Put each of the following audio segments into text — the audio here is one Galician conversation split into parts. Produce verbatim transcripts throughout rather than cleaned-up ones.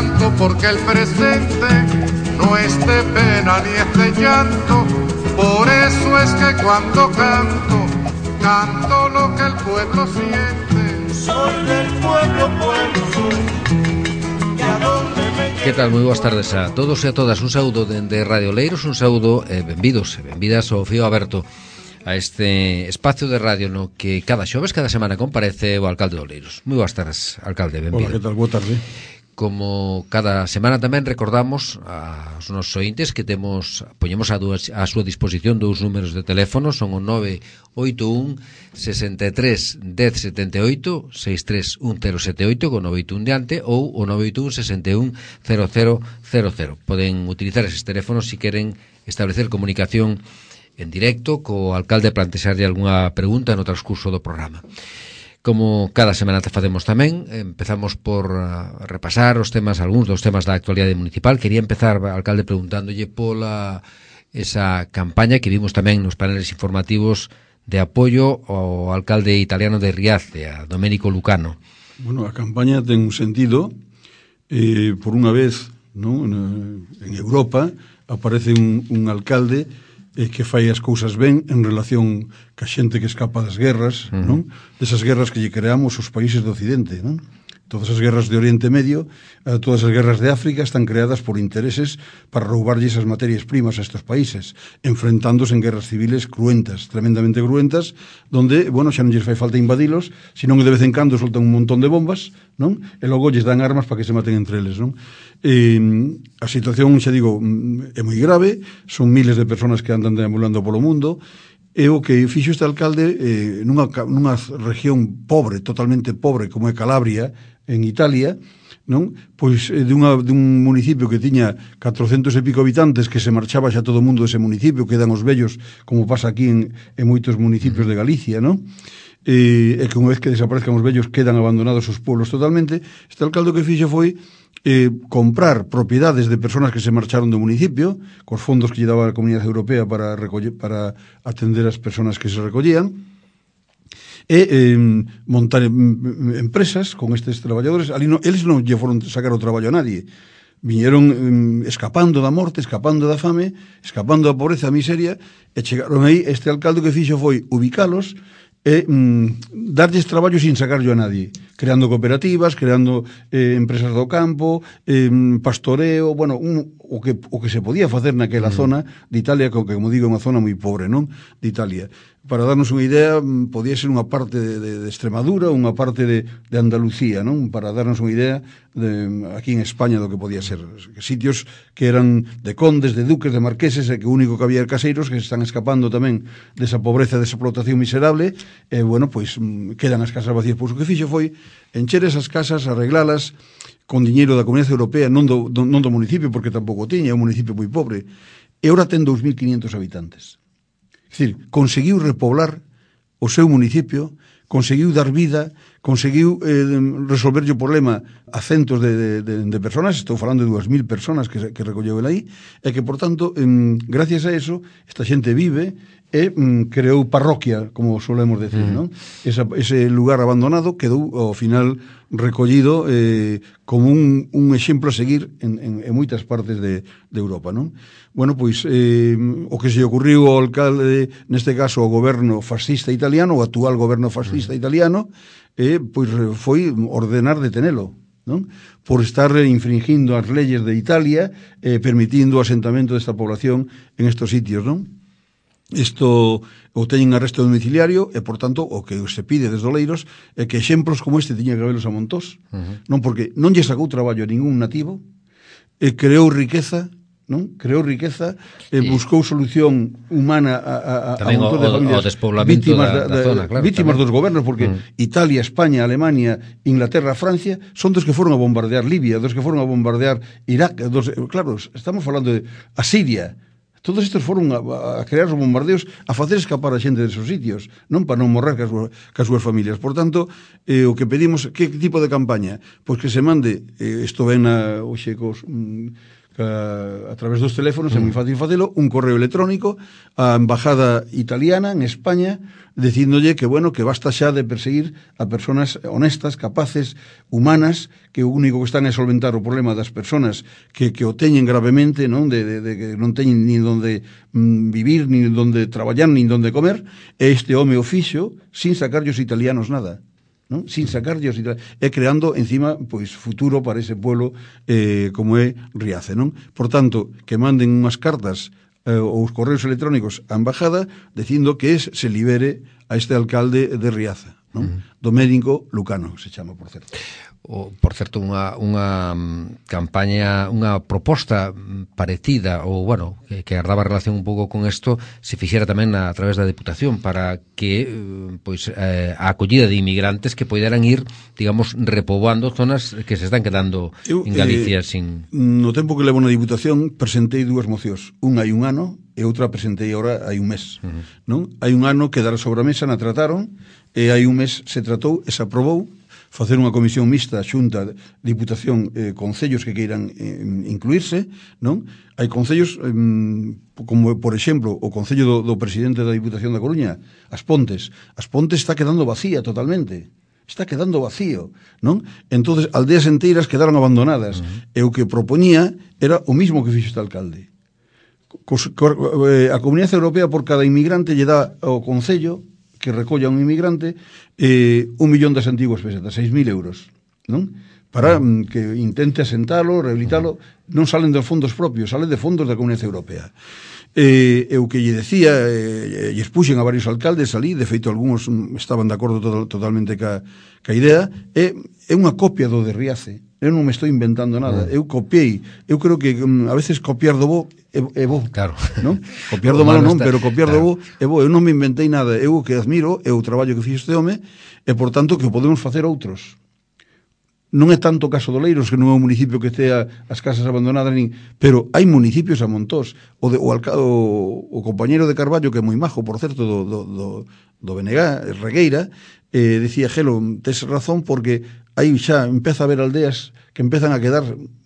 canto porque el presente no es de pena ni es de llanto. Por eso es que cuando canto, canto lo que el pueblo siente. Soy del pueblo, pueblo soy. Y a donde me... Que tal? Moi boas tardes a todos e a todas. Un saúdo dende Radio Oleiros, un saúdo e benvidos e benvidas ao Fío Aberto, a este espacio de radio no que cada xoves, cada semana comparece o alcalde de Oleiros. Moi boas tardes, alcalde, benvido. Hola, que tal? Boa tarde. Como cada semana tamén recordamos aos nosos ointes que temos, poñemos a, duas, a súa disposición dous números de teléfono, son o nove oito un, sesenta e tres, dez, setenta e oito, sesenta e tres, un cero sete oito con nove oito un diante, ou o nove oito un, sesenta e un, cero cero cero cero. Poden utilizar eses teléfonos se queren establecer comunicación en directo co alcalde, plantexarlle algunha pregunta no transcurso do programa. Como cada semana te facemos tamén, empezamos por uh, repasar os temas, algúns dos temas da actualidade municipal. Quería empezar, alcalde, preguntándolle pola esa campaña que vimos tamén nos paneles informativos de apoio ao alcalde italiano de Riace, a Domenico Lucano. Bueno, a campaña ten un sentido, eh, por unha vez, ¿no? En Europa aparece un, un alcalde eh, que fai as cousas ben en relación ca xente que escapa das guerras, uh-huh. non? Desas guerras que lle creamos os países do Occidente, non? Todas as guerras de Oriente Medio, eh, todas as guerras de África están creadas por intereses para roubarlle esas materias primas a estos países, enfrentándose en guerras civiles cruentas, tremendamente cruentas, donde, bueno, xa non lles fai falta invadilos, senón que de vez en cando soltan un montón de bombas, non? E logo lles dan armas para que se maten entre eles, non? E, a situación, xa digo, é moi grave, son miles de personas que andan deambulando polo mundo, e o que fixo este alcalde eh, nunha, nunha región pobre, totalmente pobre, como é Calabria, en Italia, non? Pois de, unha, de un municipio que tiña catrocentos e pico habitantes, que se marchaba xa todo o mundo dese municipio, quedan os vellos, como pasa aquí en, en moitos municipios de Galicia, non? E, e que unha vez que desaparezcan os vellos quedan abandonados os pueblos totalmente. Este alcalde que fixo foi eh, comprar propiedades de personas que se marcharon do municipio, cos fondos que lle daba a Comunidade Europea para, recoller, para atender as personas que se recollían, e eh, montar empresas con estes traballadores. Ali no, eles non lle foron sacar o traballo a nadie, viñeron eh, escapando da morte, escapando da fame, escapando da pobreza, da miseria, e chegaron aí. Este alcalde que fixo foi ubicalos e mm, darlles traballo sin sacarlo a nadie, creando cooperativas, creando eh, empresas do campo, eh, pastoreo, bueno, un, o, que, o que se podía facer naquela mm. zona de Italia, que, como digo, é unha zona moi pobre, non? De Italia. Para darnos unha idea, podía ser unha parte de, de, de Extremadura, unha parte de, de Andalucía, non? Para darnos unha idea de, aquí en España do que podía ser. Sitios que eran de condes, de duques, de marqueses, e que o único que había caseiros que se están escapando tamén desa pobreza, desa explotación miserable, e, bueno, pois quedan as casas vacías. Pois o que fixo foi encher esas casas, arreglalas con diñeiro da Comunidade Europea, non do, do, non do municipio, porque tampouco tiña, é un municipio moi pobre, e ora ten dous mil quinientos habitantes. É dicir, conseguiu repoblar o seu municipio, conseguiu dar vida, conseguiu eh, resolverlle o problema a centos de, de, de personas, estou falando de dúas mil personas que, que recolleu el aí, e que, por tanto, eh, gracias a eso, esta xente vive e mm, creou parroquia, como solemos decir, mm. non? Esa, ese lugar abandonado quedou, ao final, recollido eh, como un, un exemplo a seguir en, en, en moitas partes de, de Europa, non? Bueno, pois, eh, o que se ocurriu ao alcalde, neste caso, ao goberno fascista italiano, o actual goberno fascista mm. italiano, eh, pois foi ordenar detenelo, non? Por estar infringindo as leyes de Italia, eh, permitindo o asentamento desta población en estos sitios, non? Isto o teñen arresto domiciliario e, por tanto, o que se pide desde Oleiros é que exemplos como este tiña que habelos a montós, uh-huh. non? Porque non lle sacou traballo a ningún nativo, e creou riqueza, non? Creou riqueza, e buscou solución humana a, a, a un montón de familias, o despoblamento vítimas, da, da, da zona, claro, vítimas tamén. Dos gobernos, porque uh-huh. Italia, España, Alemania, Inglaterra, Francia son dos que foron a bombardear Libia, dos que foron a bombardear Irak, dos, claro, estamos falando de a Siria. Todos estes foron a, a crear os bombardeos, a facer escapar a xente desos sitios, non para non morrer cas, cas súas familias. Por tanto, eh, o que pedimos, que tipo de campaña? Pois que se mande, eh, isto ven a, oxe, cos, mm, a través dos teléfonos, é moi fácil facelo, un correo electrónico á embajada italiana en España dicíndolle que, bueno, que basta xa de perseguir a persoas honestas, capaces, humanas, que o único que están é solventar o problema das persoas que, que o teñen gravemente, non, de, de, de que non teñen ni donde mm, vivir, ni donde traballar, ni donde comer, e este home o fixo sin sacarlle os italianos nada, non? Sin sacarlle os italianos, e creando encima pois futuro para ese pueblo eh, como é Riace, non? Por tanto, que manden unhas cartas eh, ou os correos electrónicos á embajada dicindo que es, se libere a este alcalde de Riaza, non? Uh-huh. Domenico Lucano se chama, por certo. O, por certo, unha, unha campaña, unha proposta parecida, ou, bueno, que, que ardaba relación un pouco con isto, se fixera tamén a, a través da Deputación, para que, pois, eh, a acollida de inmigrantes que poideran ir, digamos, repoboando zonas que se están quedando Eu, en Galicia eh, sin... No tempo que levo na Diputación, presentei dúas mocións. Unha hai un ano, e outra presentei agora hai un mes. Uh-huh. Non? Hai un ano quedara sobre a mesa, na trataron, e hai un mes se tratou e se aprobou facer unha comisión mixta, Xunta, Diputación, eh, concellos que queiran eh, incluirse, non? Hai concellos, eh, como, por exemplo, o concello do, do presidente da Diputación da Coruña, As Pontes. As Pontes está quedando vacía totalmente. Está quedando vacío, non? Entonces, aldeas enteiras quedaron abandonadas. Uh-huh. E o que propoñía era o mismo que fixo este alcalde. Cos, co, eh, a Comunidade Europea por cada inmigrante lle dá ao concello que recolla un inmigrante eh, un millón das antiguas pesetas, seis mil euros, non? Para mm, que intente asentalo, rehabilitalo, non salen de fondos propios, salen de fondos da Comunidade Europea. Eh, eu que lle decía, eh, lle expuxen a varios alcaldes ali, de feito algúns estaban de acordo total, totalmente ca, ca idea, é, é unha copia do de Riace. Eu non me estou inventando nada, eu copiei, eu creo que um, a veces copiar do bo é, é bo, claro. Non? Copiar do malo non, pero copiar claro. do bo é bo, eu non me inventei nada, eu o que admiro é o traballo que fixo este home, e por tanto que o podemos facer outros. Non é tanto o caso do Leiros, que non é un municipio que estea as casas abandonadas, nin, pero hai municipios a montós. O, de, o, alca, o, o compañeiro de Carballo, que é moi majo, por certo, do, do, do, do Benegá, Regueira, eh, decía, Gelo, tes razón, porque aí xa empeza a haber aldeas que empezan a quedar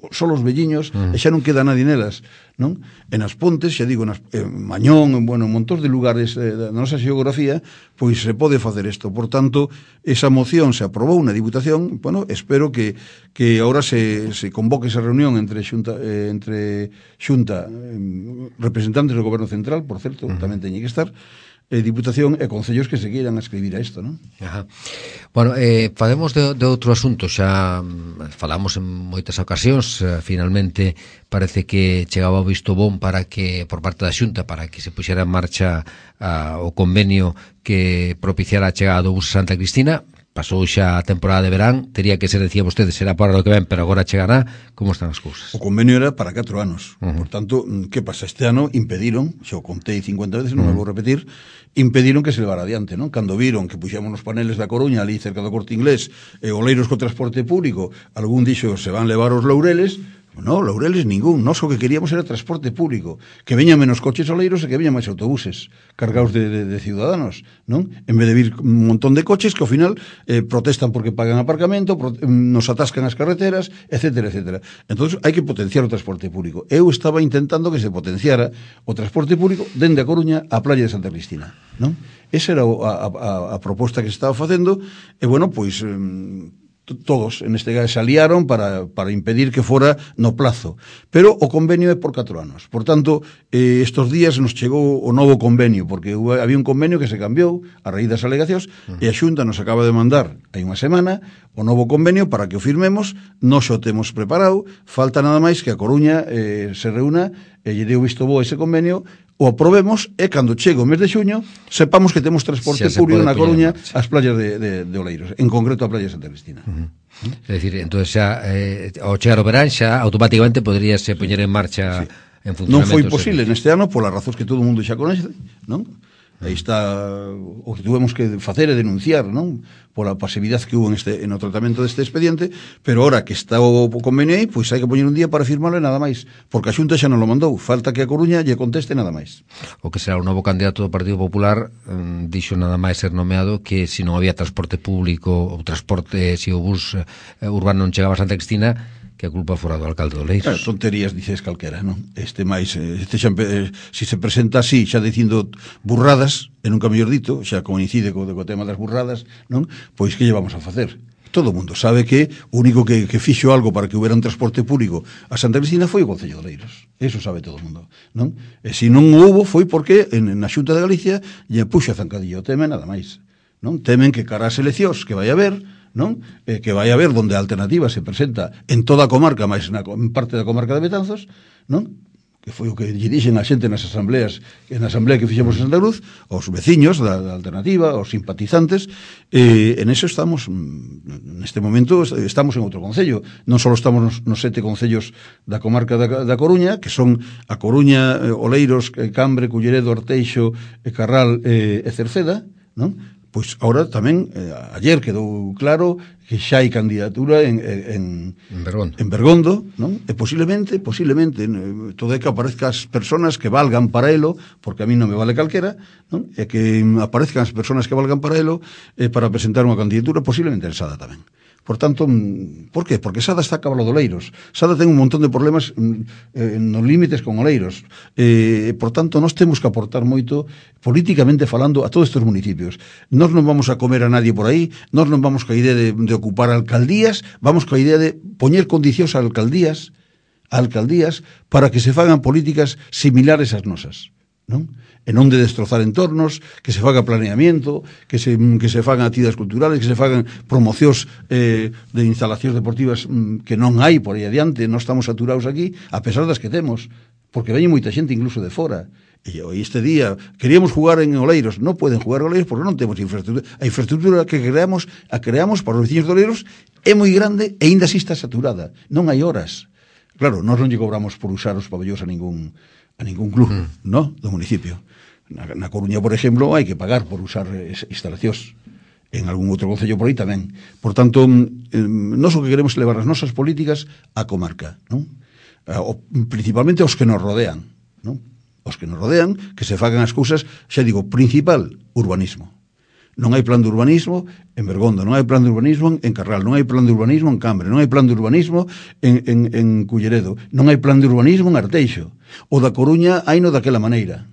só os velliños mm. e xa non queda nadie nelas, non? En As Pontes, xa digo, nas, en Mañón, en, bueno, en montón de lugares eh, da nosa xeografía, pois se pode facer isto. Por tanto, esa moción se aprobou na Diputación, bueno, espero que, que agora se, se convoque esa reunión entre Xunta, eh, entre Xunta eh, representantes do Goberno Central, por certo, mm. tamén teñen que estar, eh, Diputación e concellos que se queiran escribir a isto, non? Ajá. Bueno, eh, falemos de, de outro asunto, xa falamos en moitas ocasións, eh, finalmente parece que chegaba o visto bon para que, por parte da Xunta, para que se puxera en marcha a, o convenio que propiciara a chegada do bus Santa Cristina. Pasou xa a temporada de verán, tería que ser, decía vostede, será para o que ven, pero agora chegará. Como están as cousas? O convenio era para catro anos. Uh-huh. Por tanto, que pasa? Este ano impediron, xa o contei cincuenta veces, non uh-huh. me vou repetir, impediron que se levara adiante, non? Cando viron que puxamos nos paneles da Coruña, ali cerca do Corte Inglés, e Oleiros co transporte público, algún dixo, se van levar os Loureles. No, Loureles ningún, nós o que queríamos era transporte público, que veñan menos coches oleiros e que veñan máis autobuses cargados de, de, de ciudadanos, non? En vez de vir un montón de coches que ao final eh, protestan porque pagan aparcamento, pro, nos atascan as carreteras, etcétera, etcétera. Entón, hai que potenciar o transporte público. Eu estaba intentando que se potenciara o transporte público dende a Coruña á playa de Santa Cristina, non? Esa era a, a, a proposta que se estaba facendo, e bueno, pois... Eh, todos, en este caso, se aliaron para, para impedir que fora no plazo. Pero o convenio é por catro anos. Por tanto, eh, estos días nos chegou o novo convenio, porque había un convenio que se cambiou a raíz das alegacións, uh-huh. e a Xunta nos acaba de mandar hai unha semana o novo convenio para que o firmemos. Nos o temos preparado, falta nada máis que a Coruña eh, se reúna e lle deu visto bo ese convenio, o aprobemos, e cando chegue o mes de xuño sepamos que temos transporte público na Coruña ás playas de, de, de Oleiros, en concreto a playa de Santa Cristina. Uh-huh. ¿Mm? É dicir, entón xa eh, ao chegar o verán xa automáticamente poderíase poñer en marcha, sí, en funcionamento. Non foi posible neste ano polas razóns que todo o mundo xa conoce, non? Aí está o que tuvemos que facer e denunciar, non? Pola pasividade que hubo en este, en o tratamento deste expediente, pero ahora que está o convenio aí, pois hai que poñer un día para firmarlo e nada máis, porque a Xunta xa non lo mandou, falta que a Coruña lle conteste nada máis. O que será o novo candidato do Partido Popular eh, dixo nada máis ser nomeado que se non había transporte público ou transporte, se o bus eh, urbano non chegaba a Santa Cristina, que a culpa fora do alcalde de Oleiros. Claro, tonterías dices calquera, non? Este máis, este xa, eh, si se presenta así, xa dicindo burradas, e nunca mellor dito, xa coincide co, co tema das burradas, non? Pois que lle vamos a facer? Todo o mundo sabe que o único que, que fixo algo para que houbera un transporte público a Santa Cristina foi o Concello de Oleiros. Eso sabe todo o mundo, non? E se non houbo foi porque en, na Xunta de Galicia lle puxo a zancadillo o tema, nada máis, non? Temen que cara as eleccións que vai haber, non? Eh, que vai haber donde a alternativa se presenta en toda a comarca, máis na, en parte da comarca de Betanzos, non? Que foi o que lle dixen a xente nas asambleas, na asamblea que fixemos en Santa Cruz, os veciños da, da alternativa, os simpatizantes, eh, en eso estamos, neste momento estamos en outro concello, non só estamos nos, nos sete concellos da comarca da, da Coruña, que son a Coruña, eh, Oleiros, Cambre, Culleredo, Orteixo, eh, Carral eh, e Cerceda, non? Pois agora tamén, eh, ayer quedou claro que xa hai candidatura en, en, en, Bergondo. en Bergondo, non? E posiblemente, posiblemente, todo é que aparezcan as persoas que valgan para elo, porque a mí non me vale calquera, non? E que aparezcan as persoas que valgan para elo eh, para presentar unha candidatura posiblemente en Sada tamén. Por tanto, por qué? Porque Sada está a cabalo de Oleiros. Sada ten un montón de problemas eh, nos límites con Oleiros. Eh, por tanto, nós temos que aportar moito, políticamente falando, a todos estes municipios. Nós non vamos a comer a nadie por aí, nós non vamos ca idea de, de ocupar alcaldías, vamos ca idea de poñer condicións a alcaldías, a alcaldías para que se fagan políticas similares ás nosas, non? E non de destrozar entornos, que se faga planeamiento, que se, que se fagan actividades culturales, que se fagan promocións eh, de instalacións deportivas mm, que non hai por aí adiante, non estamos saturados aquí, a pesar das que temos, porque veñe moita xente incluso de fora. E este día queríamos jugar en Oleiros, non poden jugar en Oleiros porque non temos infraestructura. A infraestructura que creamos, a creamos para os veciños de Oleiros é moi grande e ainda así está saturada, non hai horas. Claro, nós non lle cobramos por usar os pabellóns a ningún a ningún club, mm. no, do municipio. Na, na Coruña, por exemplo, hai que pagar por usar instalacións. En algún outro concello por aí tamén. Por tanto, eh, nós o que queremos é levar as nosas políticas á comarca, non? Eh, o, principalmente os que nos rodean, non? Os que nos rodean, que se fagan as cousas, xa digo, principal, urbanismo. Non hai plan de urbanismo en Bergondo, non hai plan de urbanismo en Carral, non hai plan de urbanismo en Cambre, non hai plan de urbanismo en, en, en Culleredo, non hai plan de urbanismo en Arteixo. O da Coruña hai no daquela maneira.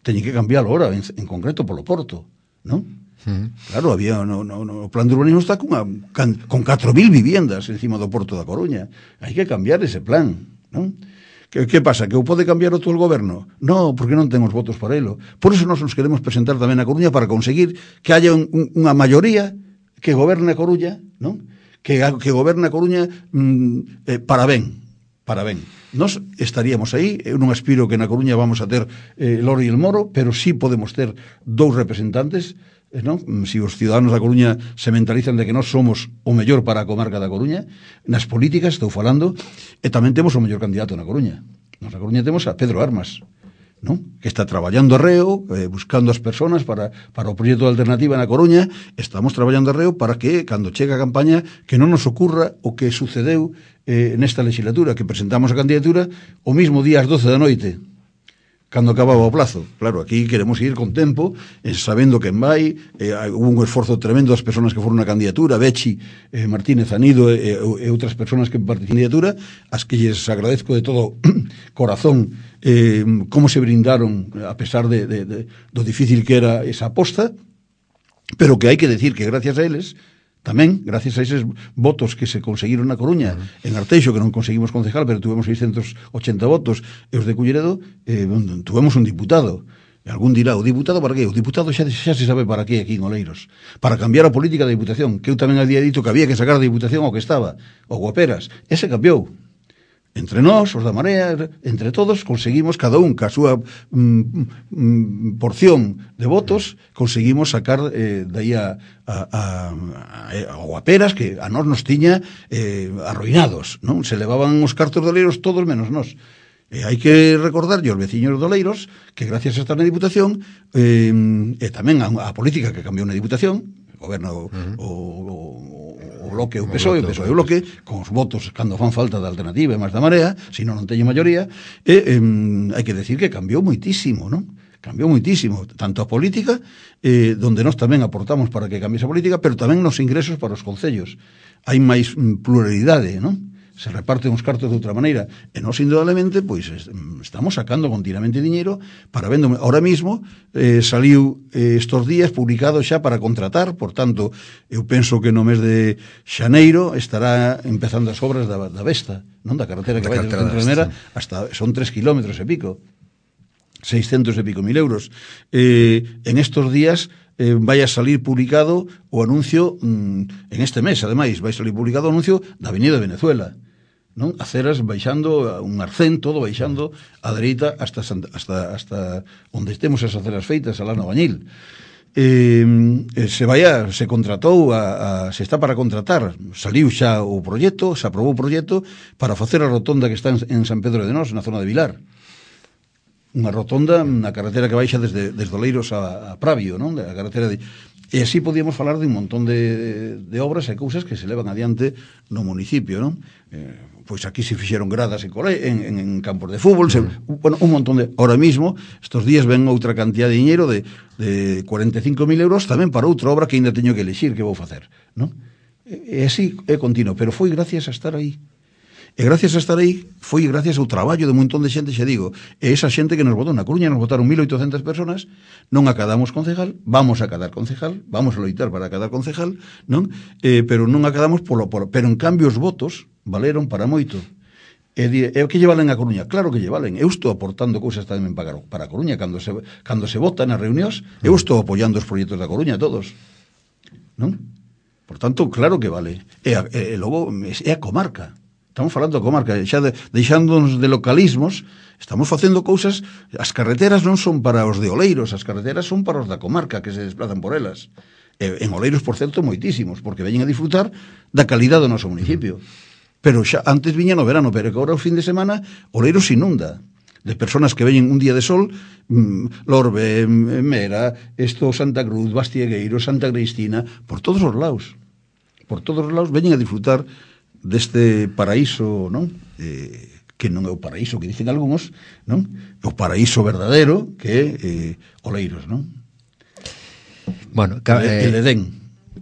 Teñen que cambiarlo ahora, en, en concreto polo Porto, non? Uh-huh. Claro, había no, no, no, o plan de urbanismo está con, a, can, con catro mil viviendas encima do Porto da Coruña. Hai que cambiar ese plan, non? Que, que pasa? Que o pode cambiar o todo o goberno? No, porque non ten os votos para elo. Por eso nós nos queremos presentar tamén a Coruña para conseguir que haya un, un, unha maioría que goberne a Coruña, non? Que, que goberne a Coruña mm, eh, para ben, para ben. Nós estaríamos aí, eu non aspiro que na Coruña vamos a ter eh, Loro e el Moro, pero sí podemos ter dous representantes, eh, non? Si os ciudadanos da Coruña se mentalizan de que nós somos o mellor para a comarca da Coruña, nas políticas estou falando, e tamén temos o mellor candidato na Coruña. Nos na Coruña temos a Pedro Armas, non? Que está traballando arreo, eh, buscando as persoas para, para o proxecto de alternativa na Coruña. Estamos traballando arreo para que, cando chegue a campaña, que non nos ocurra o que sucedeu eh, nesta legislatura, que presentamos a candidatura o mismo día ás doce da noite, cando acababa o plazo. Claro, aquí queremos ir con tempo, eh, sabendo quen vai, eh, hubo un esforzo tremendo das persoas que foron na candidatura, Bechi, eh, Martínez Anido e, e, e outras persoas que participan na candidatura, as que lles agradezco de todo corazón eh, como se brindaron a pesar de, de, de, do difícil que era esa aposta, pero que hai que decir que gracias a eles tamén, gracias a eses votos que se conseguiron na Coruña, uh-huh. en Arteixo, que non conseguimos concejal, pero tuvemos seiscentos ochenta votos, e os de Culleredo, eh, tuvemos un diputado. E algún dirá, o diputado para qué? O diputado xa, xa se sabe para qué aquí en Oleiros. Para cambiar a política da Diputación, que eu tamén había dito que había que sacar a Diputación ao que estaba, o Guaperas. Ese cambiou. Entre nós, os da Marea, entre todos, conseguimos, cada un ca súa mm, mm, porción de votos, conseguimos sacar eh, daí a, a, a, a Guaperas, que a nós nos tiña eh, arruinados, non? Se levaban os cartos de Oleiros todos menos nós. E hai que recordarlle aos veciños de Oleiros que gracias a estar na Diputación eh, e tamén a, a política que cambiou na Diputación, o goberno uh-huh. o, o o bloque, o P S O E, o P S O E o bloque, con os votos cando fan falta da alternativa e máis da Marea, se non non teño maioría, e eh, hai que decir que cambiou moitísimo, non? Cambiou moitísimo, tanto a política, eh, donde nós tamén aportamos para que cambie esa política, pero tamén nos ingresos para os concellos. Hai máis pluralidade, non? se reparten os cartos de outra maneira, e nós indudablemente pois estamos sacando continuamente diñeiro para vendo. Ahora mismo eh, saliu eh, estos días publicado xa para contratar, por tanto eu penso que no mes de xaneiro estará empezando as obras da, da Vesta, non, da carretera que vai desde Centronera hasta, son tres kilómetros e pico, seiscentos e pico mil euros. Eh, en estos días eh, vai a salir publicado o anuncio mm, en este mes, ademais, vai salir publicado o anuncio da Avenida Venezuela, non? Aceras baixando, un arcén, todo baixando a dereita hasta, hasta, hasta onde temos as aceras feitas, alá no Bañil. Eh, se vai a, se contratou a, a, se está para contratar, saliu xa o proxecto, se aprobou o proxecto para facer a rotonda que está en, en San Pedro de Nós, na zona de Vilar. Unha rotonda na carretera que baixa desde, desde Oleiros a, a Pravio, non? A carretera de... E así podíamos falar de un montón de, de obras e cousas que se levan adiante no municipio, non? Eh, pois aquí se fixeron gradas en, cole, en, en, en campos de fútbol, se, bueno, un montón de... Ahora mismo, estos días ven outra cantidad de diñeiro de, de cuarenta e cinco mil euros tamén para outra obra que ainda teño que elixir que vou facer, non? E, e así é continuo, pero foi gracias a estar aí. E gracias a estar aí, foi gracias ao traballo de un montón de xente, xa digo, e esa xente que nos votou na Coruña, nos votaron mil oitocentas personas, non acadamos concejal, vamos a acadar concejal, vamos a loitar para acadar concejal, non? Eh, pero non acadamos polo, polo, pero en cambio os votos valeron para moito. E, e o que lle valen a Coruña? Claro que lle valen. Eu estou aportando cousas tamén para, para a Coruña, cando se, cando se vota nas reunións, eu estou apoiando os proxectos da Coruña, todos. Non? Por tanto, claro que vale. E, e, e logo, é a comarca. Estamos falando da comarca, xa de, deixándonos de localismos, estamos facendo cousas, as carreteras non son para os de Oleiros, as carreteras son para os da comarca que se desplazan por elas. E, en Oleiros, por certo, moitísimos, porque veñen a disfrutar da calidad do noso municipio. Pero xa antes viña no verano, pero que agora o fin de semana Oleiros inunda de personas que veñen un día de sol, mmm, Lorbe, Mera, esto, Santa Cruz, Bastiegueiro, Santa Cristina, por todos os lados. Por todos os lados veñen a disfrutar deste paraíso, non? Eh, que non é o paraíso que dicen algúns, non? O paraíso verdadeiro que é eh, Oleiros, non? Bueno, ca- el, el Edén,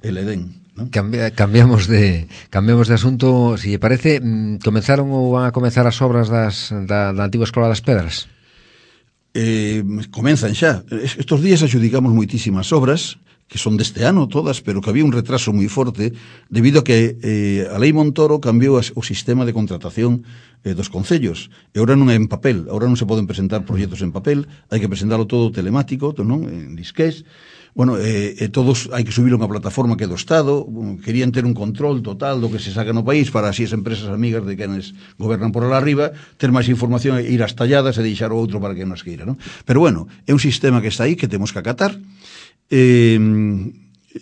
el Edén, non? Cambi- cambiamos de cambiamos de asunto, si lle parece, mm, comenzaron ou van a comezar as obras das, da, da antigua Escola das Pedras? Eh, comenzan xa. Estos días axudicamos moitísimas obras que son deste ano todas, pero que había un retraso moi forte debido a que eh, a Lei Montoro cambiou as, o sistema de contratación eh, dos concellos. E agora non é en papel, agora non se poden presentar proxectos en papel, hai que presentarlo todo telemático, non? En disqués. Bueno, eh, eh, todos hai que subirlo a unha plataforma que é do Estado, querían ter un control total do que se saca no país para así as empresas amigas de quenes gobernan por lá arriba ter máis información e ir ás talladas e deixar o outro para que nos queira, non? Pero bueno, é un sistema que está aí que temos que acatar. Eh,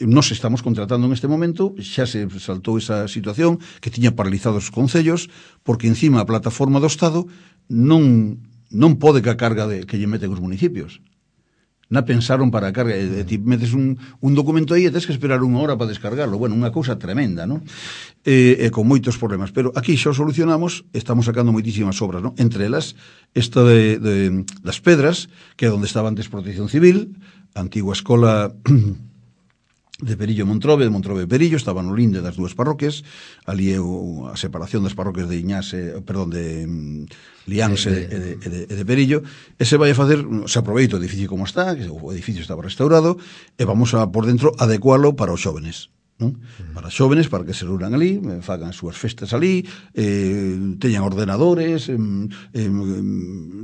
nos estamos contratando en este momento, xa se saltou esa situación que tiña paralizados os concellos porque encima a plataforma do Estado non, non pode que a carga de, que lle meten os municipios. Na pensaron para a carga, e, e ti metes un, un documento aí e tens que esperar unha hora para descargarlo. Bueno, unha cousa tremenda, non? E, e con moitos problemas, pero aquí xa o solucionamos, estamos sacando moitísimas obras, non? Entre elas, esta de, de, das Pedras, que é onde estaba antes Protección Civil, a antigua escola de Perillo Montrobe, de Montrobe Perillo, estaba no linde das dúas parroquias, ali é o, a separación das parroquias de Iñás, eh, perdón, de um, Liáns e de, de, de, de, de Perillo, e se vai a facer, se aproveita o edificio como está, que o edificio estaba restaurado, e vamos a, por dentro, adecualo para os xóvenes, non? Para xóvenes, para que se reúnan ali, fagan as súas festas ali, eh, teñan ordenadores, eh, eh,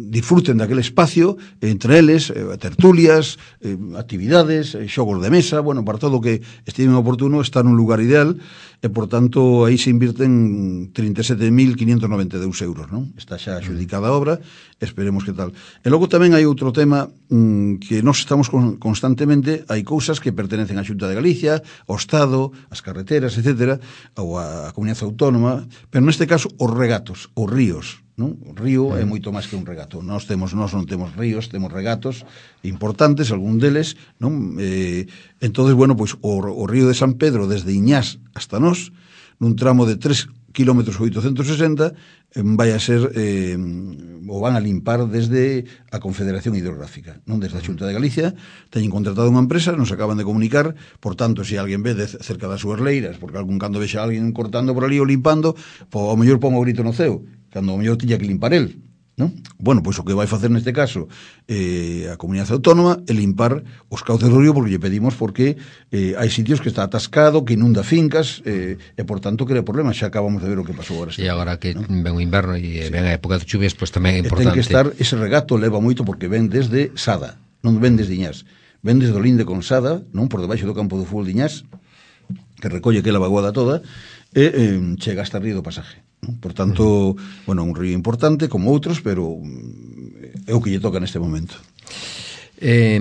disfruten daquele espacio, entre eles, eh, tertulias, eh, actividades, eh, xogos de mesa, bueno, para todo o que estime oportuno, está nun lugar ideal, e, por tanto, aí se invirten trinta e sete mil quinientos noventa e dous euros, non? Está xa adjudicada a obra, esperemos que tal. E logo tamén hai outro tema mmm, que nós estamos con, constantemente, hai cousas que pertenecen á Xunta de Galicia, ao Estado, as carreteras, etcétera, ou a Comunidade Autónoma, pero neste caso os regatos, os ríos, non? O río é moito máis que un regato. Nós temos, nós non temos ríos, temos regatos importantes, algún deles, non? Eh, entonces, bueno, pois o, o río de San Pedro desde Iñás hasta nós, nun tramo de tres kilómetros oitocentos sesenta, vai a ser eh, o van a limpar desde a Confederación Hidrográfica, non desde a Xunta de Galicia. Teñen contratado unha empresa, nos acaban de comunicar, por tanto, se alguén ve de cerca das súas leiras, porque algún cando vexa alguén cortando por ali ou limpando, po, ao mellor pon o grito no ceo, cando ao mellor tiña que limpar el, non? Bueno, pois o que vai facer neste caso eh, a Comunidade Autónoma é limpar os cauces do río, porque lle pedimos porque eh, hai sitios que está atascado, que inunda fincas eh, e por tanto crea problemas. Xa acabamos de ver o que pasou agora. E agora que ¿no? ven o inverno e sí. ven a época de chuvias, pois pues tamén é E ten importante. que estar, ese regato leva moito porque ven desde Sada, non ven desde Iñás, ven desde o linde con Sada, non por debaixo do campo do fútbol de Iñás, que recolle aquela vaguada toda e eh, chega hasta río do Pasaje. Por tanto, uh-huh. bueno, un río importante como outros, pero é o que lle toca neste momento. Eh,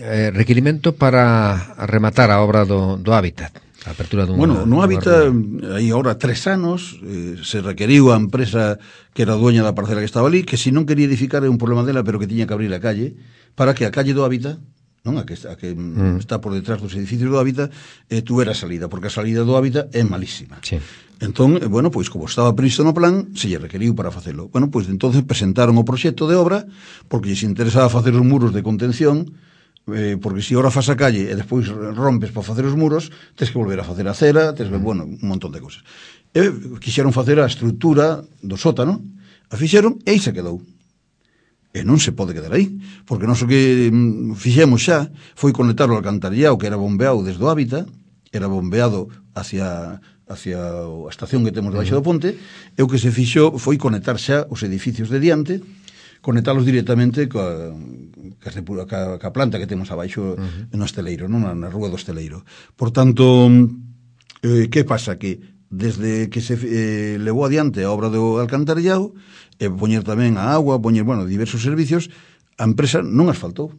eh, requirimento para rematar a obra do, do Hábitat, a apertura dun... Bueno, no Hábitat, hai agora tres anos, eh, se requeriu a empresa que era dueña da parcela que estaba ali, que se non quería edificar é un problema dela, pero que tiña que abrir a calle, para que a calle do Hábitat, non, a que, a que mm. está por detrás dos edificios do Hábitat, eh, tuvera salida, porque a salida do Hábitat é malísima. Sí. Entón, bueno, pois como estaba previsto no plan, se lle requeriu para facelo. Bueno, pois entonces presentaron o proxecto de obra, porque lles interesaba facer os muros de contención, eh, porque se ora fas a calle e despois rompes para facer os muros, tens que volver a facer a cera, tens que, bueno, un montón de cosas. E quixeron facer a estrutura do sótano, a fixeron e aí se quedou. E non se pode quedar aí, porque non so que fixemos xa foi conectar o alcantarillado que era bombeado desde o Hábitat, era bombeado hacia hacia a estación que temos debaixo do ponte, e o que se fixo foi conectar xa os edificios de diante, conectalos directamente coa, coa, coa, coa planta que temos abaixo uh-huh. no Esteleiro, non? Na, na rúa do Esteleiro. Por tanto, eh, que pasa? Que desde que se eh, levou adiante a obra do alcantarillado, e poñer tamén a agua, poñer, bueno, diversos servicios, a empresa non asfaltou.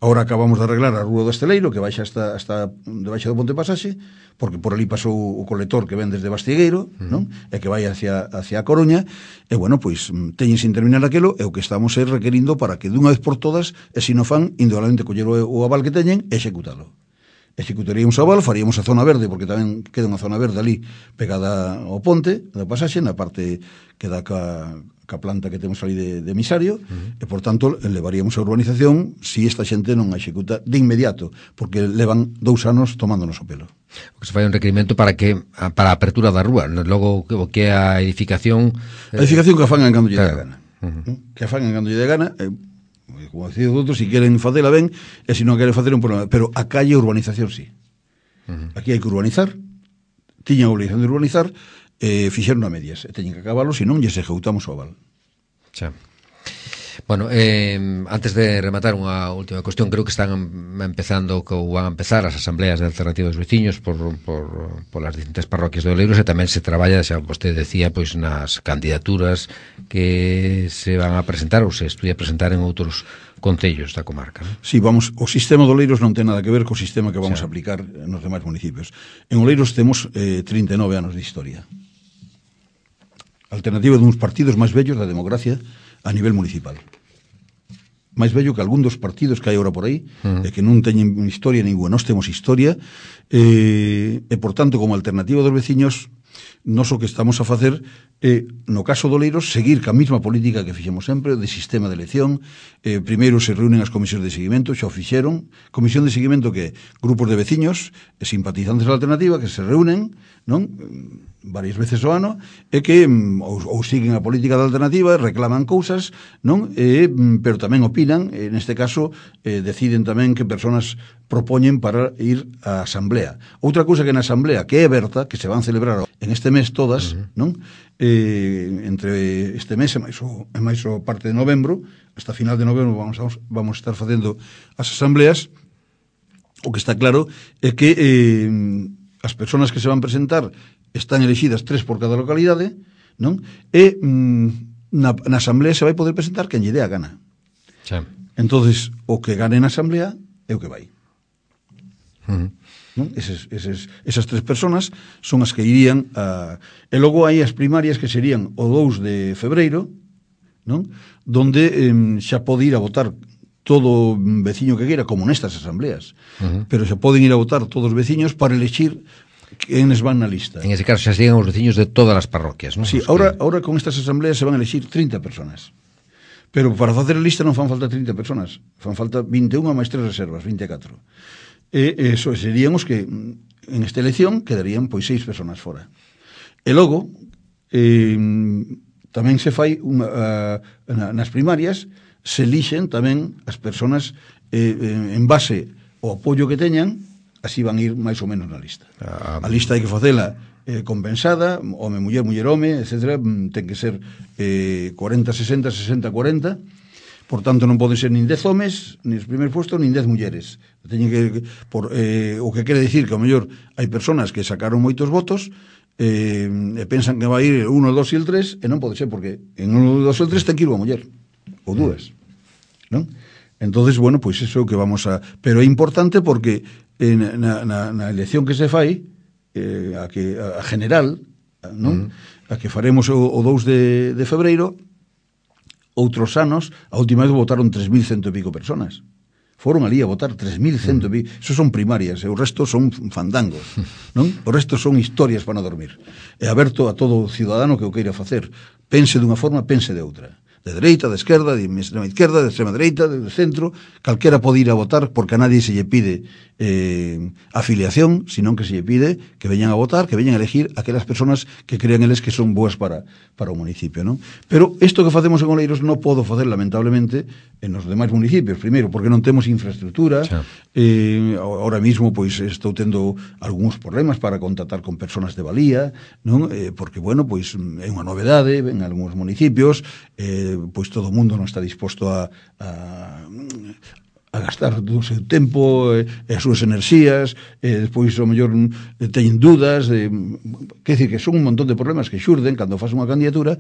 Ahora acabamos de arreglar a rúa do Esteleiro, que baixa hasta, hasta debaixo do Ponte Pasaxe, porque por ali pasou o colector que ven desde Bastigueiro, uh-huh. non? E que vai hacia, hacia a Coruña, e bueno, pois, teñen sin terminar aquilo, e o que estamos é requerindo para que dunha vez por todas, e se non fan, indudablemente coller o, o aval que teñen, e executalo. Executaríamos o aval, faríamos a zona verde, porque tamén queda unha zona verde ali, pegada ao ponte, da Pasaxe, na parte que dá ca... a planta que temos ali de, de emisario, uh-huh. e, por tanto, levaríamos a urbanización se esta xente non a executa de inmediato, porque levan dous anos tomándonos o pelo. O que se fai un requerimento para que para a apertura da rúa, logo o que é a edificación... A edificación que a fan en cando lle claro. dé gana. Uh-huh. Que a fan en cando lle dé gana, eh, como decía outros, se si queren facela ben, e se non queren facer un problema. Pero a calle urbanización sí. Uh-huh. Aquí hai que urbanizar, tiñan a obligación de urbanizar, eh, fixeron a medias, e teñen que acabalo, senón lles executamos o aval. Xa. Bueno, eh, antes de rematar unha última cuestión, creo que están empezando, que van a empezar as asambleas de alternativa dos veciños por, por, por las distintas parroquias de Oleiros, e tamén se traballa, xa vostede decía, pois nas candidaturas que se van a presentar ou se estudia presentar en outros concellos da comarca, non? Sí, vamos, o sistema de Oleiros non ten nada que ver co sistema que vamos sí. a aplicar nos demais municipios. En Oleiros temos eh, trinta e nove anos de historia. Alternativa duns partidos máis vellos da democracia a nivel municipal. Máis vello que algún dos partidos que hai agora por aí, uh-huh. e que non teñen historia ninguna. Nós temos historia, eh, e, por tanto, como alternativa dos veciños, nos o que estamos a facer é, eh, no caso do Oleiros, seguir ca mesma política que fixemos sempre, de sistema de elección. Eh, primeiro se reúnen as comisións de seguimento, xa o fixeron. Comisión de seguimento que grupos de veciños e simpatizantes da alternativa que se reúnen, non? Varias veces ao ano, e que ou, ou siguen a política da alternativa, reclaman cousas, non? E, pero tamén opinan, en este caso, eh, deciden tamén que personas propoñen para ir á asamblea. Outra cousa que na asamblea, que é aberta, que se van celebrar en este mes todas, uh-huh. non? Eh, entre este mes e máis o, e máis o parte de novembro, hasta final de novembro vamos a, vamos a estar facendo as asambleas. O que está claro é que eh, as persoas que se van presentar están elegidas tres por cada localidade, non? E mm, na, na asamblea se vai poder presentar quen lle dé a gana. Sí. Entonces, o que gane na asamblea é o que vai. Uh-huh. Non? Eses, eses, esas tres personas son as que irían a... E logo hai as primarias que serían o dous de febreiro, non? Donde eh, xa pode ir a votar todo veciño que queira, como nestas asambleas. Uh-huh. Pero xa poden ir a votar todos os veciños para elegir quenes van na lista. En ese caso xa siguen os veciños de todas as parroquias, non? Sí, ahora, que... ahora con estas asambleas se van a elegir trinta personas. Pero para facer a lista non fan falta trinta personas, fan falta vinte e unha máis tres reservas, vinte e catro. E eso serían os que en esta elección quedarían pois seis personas fora. E logo eh, tamén se fai unha, uh, nas primarias se elixen tamén as personas eh, en base ao apoio que teñan, así van ir máis ou menos na lista. Ah, a lista hai que facela eh, compensada, home, muller, muller, home, etcétera, ten que ser eh, cuarenta sesenta, sesenta cuarenta, por tanto non poden ser nin dez homes, nin os primeiros puestos, nin dez mulleres. Teñen que, por, eh, o que quere dicir que ao mellor hai personas que sacaron moitos votos eh, e pensan que vai ir uno, dos e el tres, e non pode ser, porque en uno, dos e el tres ten que ir unha muller, ou dúas, non? Entonces, bueno, pois pues eso que vamos a... Pero é importante porque eh, na, na, na elección que se fai, eh, a, que, a general, non? Mm. A que faremos o, o dous de, de febreiro, outros anos, a última vez votaron tres mil cento e pico personas. Foron ali a votar tres mil cento e pico. Eso son primarias, e o resto son fandangos, non? O resto son historias para non dormir. E aberto a todo cidadano que o queira facer. Pense dunha forma, pense de outra. De dereita, de esquerda, de extrema izquierda, de extrema dereita, de centro, calquera pode ir a votar porque a nadie se lle pide eh, afiliación, senón que se lle pide que veñan a votar, que veñan a elegir aquelas personas que crean eles que son boas para, para o municipio, non? Pero isto que facemos en Oleiros non podo facer, lamentablemente, en os demais municipios, primeiro, porque non temos infraestructura, eh, ahora mismo, pois, estou tendo algúns problemas para contactar con personas de valía, non? Eh, porque, bueno, pois, é unha novedade en algúns municipios, eh, pois todo o mundo non está disposto a, a, a gastar o seu tempo e, e as súas enerxías, e despois ao mellor teñen dúdas de, quer dicir que son un montón de problemas que xurden cando faz unha candidatura,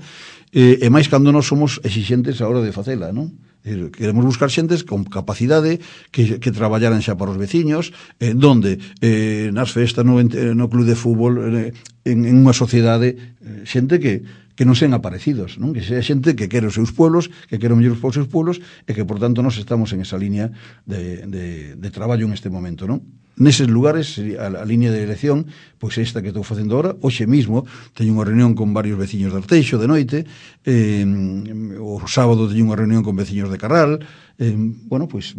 e, e máis cando nós somos exixentes a hora de facela, non? Queremos buscar xentes con capacidade que, que traballaran xa para os veciños, eh, donde eh, nas festas no, no club de fútbol, eh, en, en unha sociedade, eh, xente que que non sean aparecidos, non? Que sea xente que quere os seus pueblos, que quere o mellor os seus pueblos, e que, por tanto, nós estamos en esa línea de, de, de traballo en este momento, non? Neses lugares, a, a línea de elección, pois esta que estou facendo agora, hoxe mismo, teño unha reunión con varios veciños de Arteixo de noite, eh, o sábado teño unha reunión con veciños de Carral, eh, bueno, pois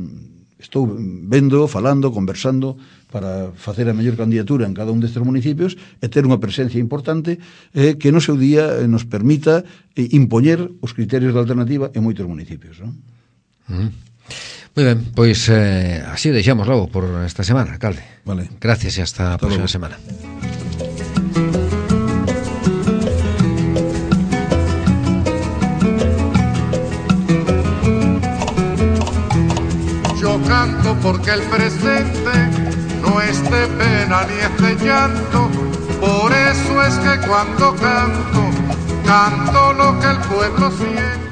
estou vendo, falando, conversando para facer a mellor candidatura en cada un destes municipios e ter unha presencia importante eh, que no seu día eh, nos permita eh, impoñer os criterios de alternativa en moitos municipios, non? Mm. Moi ben, pois eh, así o deixamos logo por esta semana, alcalde. Vale. Gracias e hasta, hasta a próxima semana. Yo canto porque el presente no es de pena ni es de llanto, por eso es que cuando canto, canto lo que el pueblo siente.